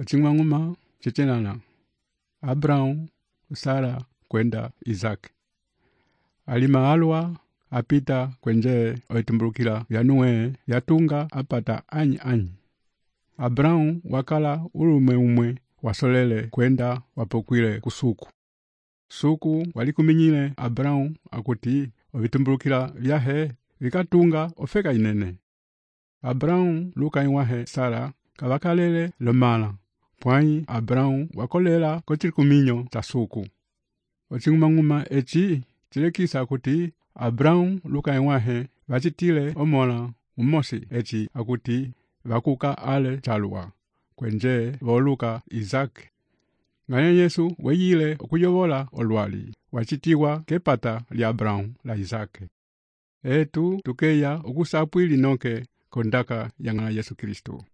Ocing'wang'uma cecenana. Abraão, Sara, kwenda Isaac. Alima alwa apita kwenje oitumbulukila yanuwe yatunga apata anyi. Abraão wakala umwe wasolele kwenda wapokwile kusuku. Suku walikuminyile Abraão akuti ovitumbulukila vyahe vikatunga ofeka inene. Abraão luka iwahe Sara kavakalele lomala. Pwai Abraão wakolela kochikuminyo cha suku. Ocing'umang'uma eci chilekisa akuti Abraão luka iwahe vachitile omola umosi eci akuti vakuka ale chalwa kwenje voluka Isaac. Ng'aya Yesu weyile okuyovola olwali wachitiwa kepata lya Abraão la Isaac. Etu tukeya okusapwili noke kondaka ya ng'aya Yesu Kristo.